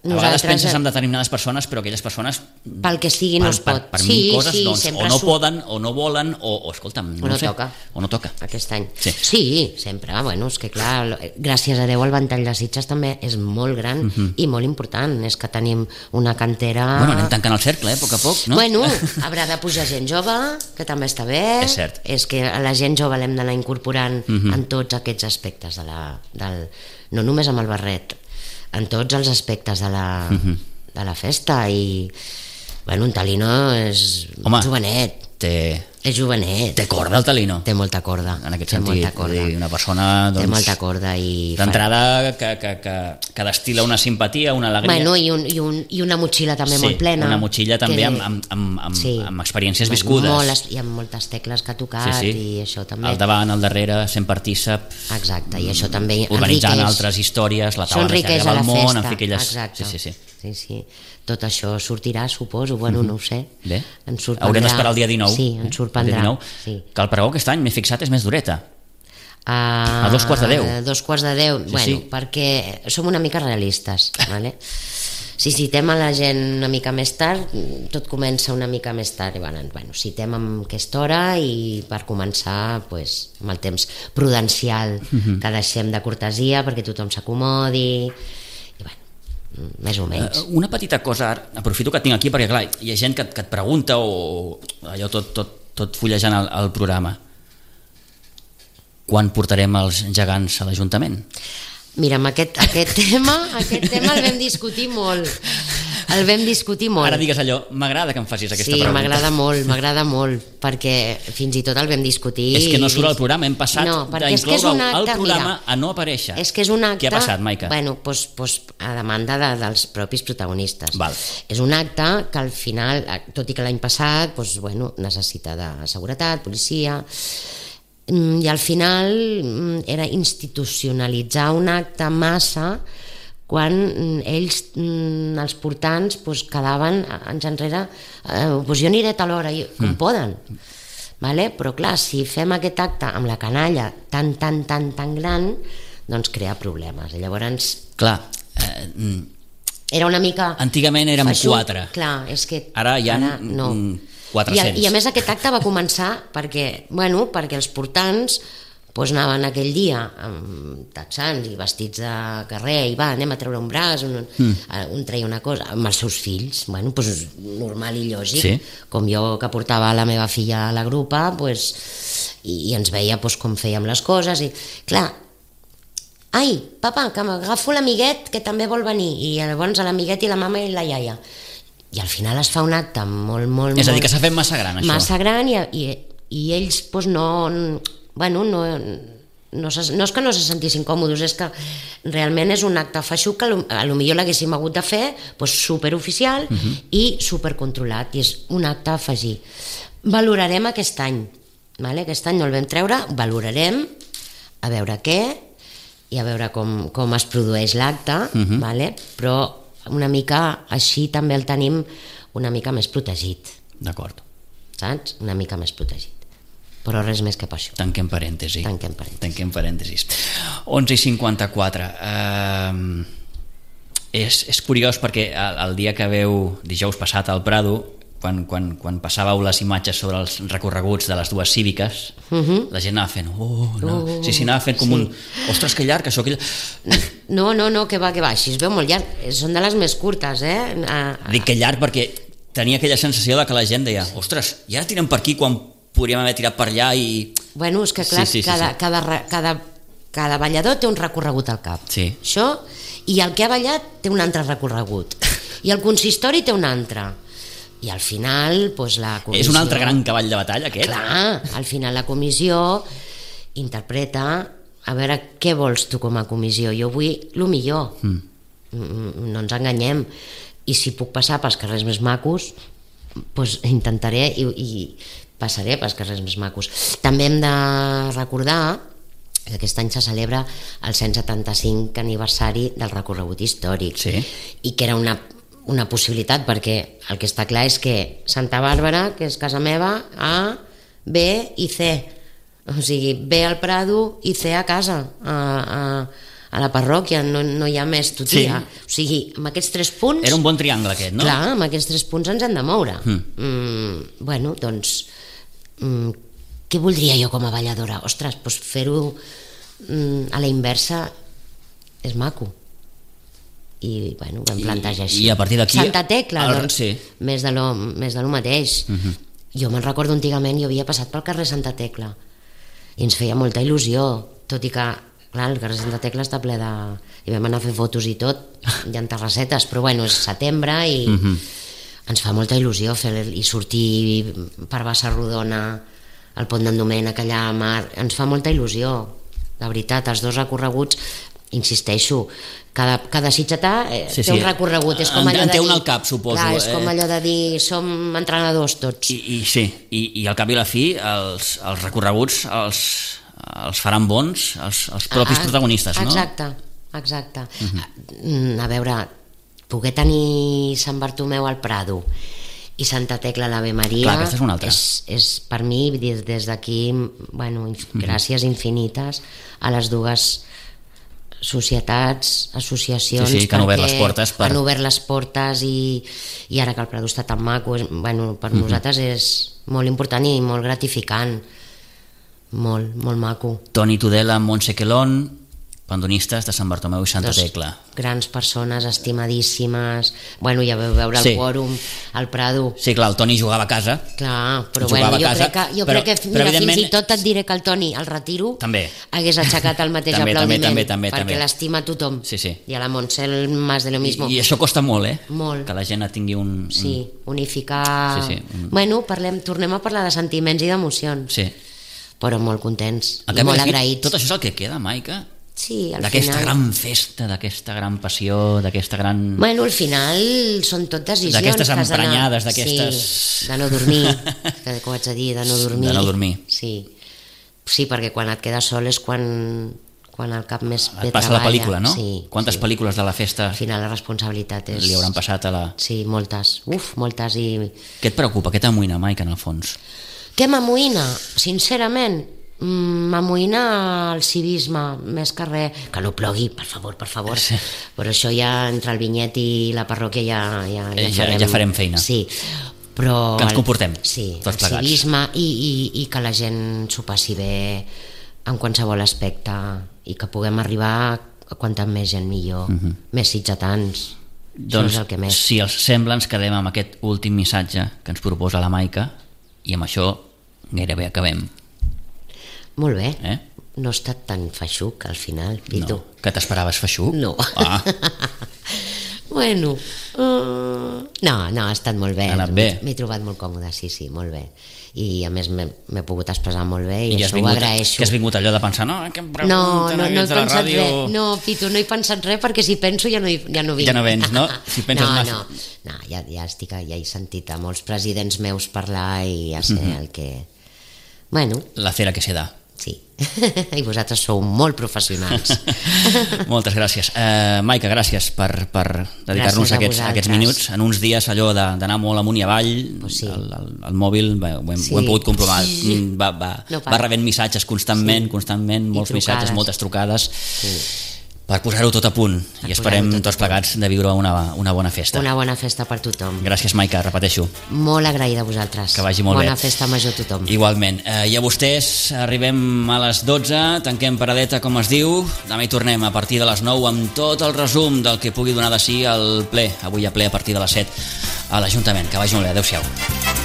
a vegades penses en determinades persones però aquelles persones pel que sigui no es pot per, per sí, mil coses sí, doncs, o no poden o no volen o, o escolta'm no, no, sé, toca. o no toca aquest any sí. sí, sempre, bueno, és que clar gràcies a Déu el ventall de Sitges també és molt gran uh-huh. i molt important és que tenim una cantera bueno, anem tancant el cercle, eh, a poc a poc no? Bueno, haurà de pujar gent jove que també està bé és cert és que a la gent jove l'hem d'anar incorporant uh-huh. en tots aquests aspectes de la, del, no només amb el barret en tots els aspectes de la uh-huh. de la festa i bueno, un Talino és Home, jovenet té, és jovenet té corda el Talino té molta corda en aquest té sentit, dir, una persona doncs, té molta corda i d'entrada que, que, que, que destila una simpatia, una alegria bueno, i, un, i, un, i una motxilla també sí, molt plena una motxilla també que... amb, amb, amb, amb, sí. amb experiències viscudes molt, i amb moltes tecles que ha tocat sí, sí. i això també al davant, al darrere, sent partícip exacte, i això també organitzant enriqueix. Altres històries la taula de del món en fi, aquelles... exacte sí, sí, sí. Sí, sí. Tot això sortirà, suposo, bueno, mm-hmm. no ho sé. Bé, haurem d'esperar el dia dinou. Sí, ens sorprendrà. dinou, sí. Que el pregó aquest any, m'he fixat, és més dureta. Uh, a dos quarts de deu. A dos quarts de deu, sí, bueno, sí. perquè som una mica realistes, vale? Si citem a la gent una mica més tard, tot comença una mica més tard. I bueno, bueno, citem amb aquesta hora i per començar, pues, amb el temps prudencial mm-hmm. que deixem de cortesia perquè tothom s'acomodi... més o menys. Uh, una petita cosa, aprofito que et tinc aquí perquè clar, hi ha gent que, que et pregunta o allò tot, tot, tot fullejant el, el programa. Quan portarem els gegants a l'Ajuntament? Mira, amb aquest, aquest tema aquest tema el vam discutir molt el vam discutir molt. Ara digues allò, m'agrada que em facis aquesta sí, pregunta. Sí, m'agrada molt, m'agrada molt, perquè fins i tot el vam discutir. És que no surt al programa, hem passat no, d'incloure'l al programa mira, a no aparèixer. És que és un acte... Què ha passat, Maica? Bueno, pues, pues, a demanda de, dels propis protagonistes. Val. És un acte que al final, tot i que l'any passat, pues, bueno, necessita de seguretat, policia... i al final era institucionalitzar un acte massa quan ells, els portants, pues, quedaven anys enrere, eh, pues jo aniré a tal hora, com mm. poden, vale? Però clar, si fem aquest acte amb la canalla tan, tan, tan, tan gran, doncs crea problemes. I llavors... Clar, eh, era una mica... Antigament érem feixuc. Quatre. Clar, és que... Ara hi ha... Ara, no. quatre-cents. I a, I a més aquest acte va començar perquè, bueno, perquè els portants pues, anaven aquell dia amb texans i vestits de carrer i va, anem a treure un braç, un, mm. un treia una cosa, amb els seus fills, bueno, pues, normal i lògic, sí. Com jo que portava la meva filla a la grupa, pues, i, i ens veia pues, com fèiem les coses, i clar, ai, papa, que m'agafo l'amiguet que també vol venir, i llavors a l'amiguet i la mama i la iaia. I al final es fa un acte molt, molt... És a dir, que s'ha fet massa gran, això. Massa gran i, i, i ells pues, no... Bueno, no, no, no és que no se sentissin còmodes, és que realment és un acte feixuc que a lo millor l'haguéssim hagut de fer pues, superoficial uh-huh. i supercontrolat, i és un acte a afegir. Valorarem aquest any, vale? Aquest any no el vam treure, valorarem a veure què i a veure com, com es produeix l'acte, uh-huh. vale? Però una mica així també el tenim una mica més protegit. D'acord. Saps? Una mica més protegit. Però res més que per això. Tanquem parèntesi. Tanquem parèntesis. Tanquem parèntesis. onze i cinquanta-quatre. Uh, és, és curiós perquè el, el dia que veu dijous passat al Prado, quan, quan, quan passàveu les imatges sobre els recorreguts de les dues cíviques, uh-huh. la gent anava fent oh, no. uh, sí, sí, anava fent com sí. un ostres, que llarg, això, que llarg. No, no, no, que va, que va, així es veu molt llarg. Són de les més curtes, eh? A, a... Dic que llarg perquè tenia aquella sensació de que la gent deia ostres, i ara tiren per aquí quan podríem haver tirat per allà i... Bueno, és que clar, sí, sí, cada, sí, sí. Cada, cada, cada ballador té un recorregut al cap. Sí. Això, i el que ha ballat té un altre recorregut. I el consistori té un altre. I al final, doncs la comissió... És un altre gran cavall de batalla, aquest? Clar, al final la comissió interpreta a veure què vols tu com a comissió. Jo vull el millor. Mm. No ens enganyem. I si puc passar pels carrers més macos, doncs intentaré i... i passaré pels carrers més macos. També hem de recordar que aquest any se celebra el cent setanta-cinc aniversari del recorregut històric, sí. I que era una, una possibilitat, perquè el que està clar és que Santa Bàrbara, que és casa meva, A, B i C, o sigui, B al Prado i C a casa, a, a, a la parròquia, no, no hi ha més tutia. Sí. O sigui, amb aquests tres punts... Era un bon triangle aquest, no? Clar, amb aquests tres punts ens hem de moure. Mm. Mm, bueno, doncs... Mm, què voldria jo com a balladora? Ostres, doncs fer-ho mm, a la inversa és maco. I bueno, ho vam plantejar així. I a partir d'aquí... Santa Tecla, el... doncs, sí. més, de lo, més de lo mateix. Uh-huh. Jo me'n recordo antigament, jo havia passat pel carrer Santa Tecla i ens feia molta il·lusió, tot i que clar, el carrer Santa Tecla està ple de... i vam anar a fer fotos i tot, hi ha terrassetes, però bueno, és setembre i... Uh-huh. Ens fa molta il·lusió fer i sortir per Bassa Rodona, al Pont d'en Domènec, allà a mar, ens fa molta il·lusió, la veritat, els dos recorreguts, insisteixo, cada, cada sitgetà eh, sí, té sí. un recorregut, és com allò en de té dir, un al cap, suposo. Clar, és com eh? allò de dir, som entrenadors tots. I, i sí, I, i al cap i a la fi, els, els recorreguts els, els faran bons els, els propis ah, protagonistes, no? Exacte, exacte. Uh-huh. A veure... poder tenir Sant Bartomeu al Prado i Santa Tecla a l'Ave Maria. Clar, aquesta és una altra. És, és per mi, des, des d'aquí, bueno, mm-hmm. gràcies infinites a les dues societats, associacions, sí, sí, que han obert les portes per... han obert les portes i, i ara que el Prado està tan maco, és, bueno, per mm-hmm. nosaltres és molt important i molt gratificant, molt, molt maco. Toni Tudela, Montse Quelón, pandonistes de Sant Bartomeu i Santa Dos Tecla. Grans persones, estimadíssimes. Bueno, ja vau veure el sí. quòrum al Prado. Sí, clar, el Toni jugava a casa. Clar, però bueno, jo casa, crec que, jo però, crec que però, mira, fins i tot et diré que el Toni, al retiro, també. hagués aixecat el mateix també, aplaudiment, també, també, perquè també. l'estima a tothom. Sí, sí. I a la Montse más de lo mismo. I, I això costa molt, eh? Molt. Que la gent tingui un... un... Sí, unificar... Sí, sí, un... Bueno, parlem, tornem a parlar de sentiments i d'emocions. Sí. Però molt contents i molt agraïts. Tot això és el que queda, Maica? Sí, al d'aquesta final... gran festa, d'aquesta gran passió, d'aquesta gran... Bueno, al final són tot decisions... D'aquestes emprenyades, d'aquestes... Sí, de no dormir, que ho haig de dir, de no dormir. De no dormir. Sí, sí, perquè quan et quedes sol és quan, quan el cap més bé et passa treballa. La pel·lícula, no? Sí, quantes sí. pel·lícules de la festa... Al final la responsabilitat és... Li hauran passat a la... Sí, moltes, uf, moltes i... Què et preocupa? Què t'amoïna, Maica, en el fons? Què m'amoïna? Sincerament... m'amoïna el civisme més que res, que no plogui, per favor, per favor, sí. Però això ja entre el vinyet i la parròquia ja, ja, ja, ja, farem, ja farem feina, sí, però que ens comportem sí, tots el plegats. Civisme i, i, i que la gent s'ho passi bé en qualsevol aspecte i que puguem arribar a quanta més gent millor, uh-huh. més sitgetans. Doncs és el que més. Si els sembla ens quedem amb aquest últim missatge que ens proposa la Maica i amb això gairebé acabem. Molt bé, eh? No ha estat tan feixuc al final, Pitu. No. Que t'esperaves feixuc? No. Ah. Bueno, uh, no, no, ha estat molt bé. Ha anat bé. M'he trobat molt còmode, sí, sí, molt bé. I a més m'he pogut expressar molt bé i, I això vingut, ho agraeixo. Que has vingut allò de pensar, no, que em pregunten no, no, no he pensat ràdio... res, no, Pitu, no he pensat res perquè si penso ja no, hi, ja no vinc. Ja no vens, no? Si penses no, massa... no, no, ja, ja estic, ja he sentit a molts presidents meus parlar i ja sé uh-huh. el que... Bueno. La cera que se da. Sí, i vosaltres sou molt professionals. Moltes gràcies. Uh, Maica, gràcies per, per dedicar-nos a aquests, aquests minuts. En uns dies allò d'anar molt amunt i avall, pues sí. el, el, el mòbil, ho hem, sí. ho hem pogut comprovar, va, va, no va rebent missatges constantment, sí. constantment, molts missatges, moltes trucades. Sí. Per posar-ho tot a punt per i esperem tots plegats de viure una, una bona festa. Una bona festa per tothom. Gràcies, Maica, repeteixo. Molt agraïda a vosaltres. Que vagi molt bona bé. Bona festa major a tothom. Igualment. Eh, I a vostès arribem a les dotze, tanquem paradeta, com es diu. Demà hi tornem a partir de les nou amb tot el resum del que pugui donar de si el ple. Avui a ple a partir de les set a l'Ajuntament. Que vagi molt bé. Adéu-siau.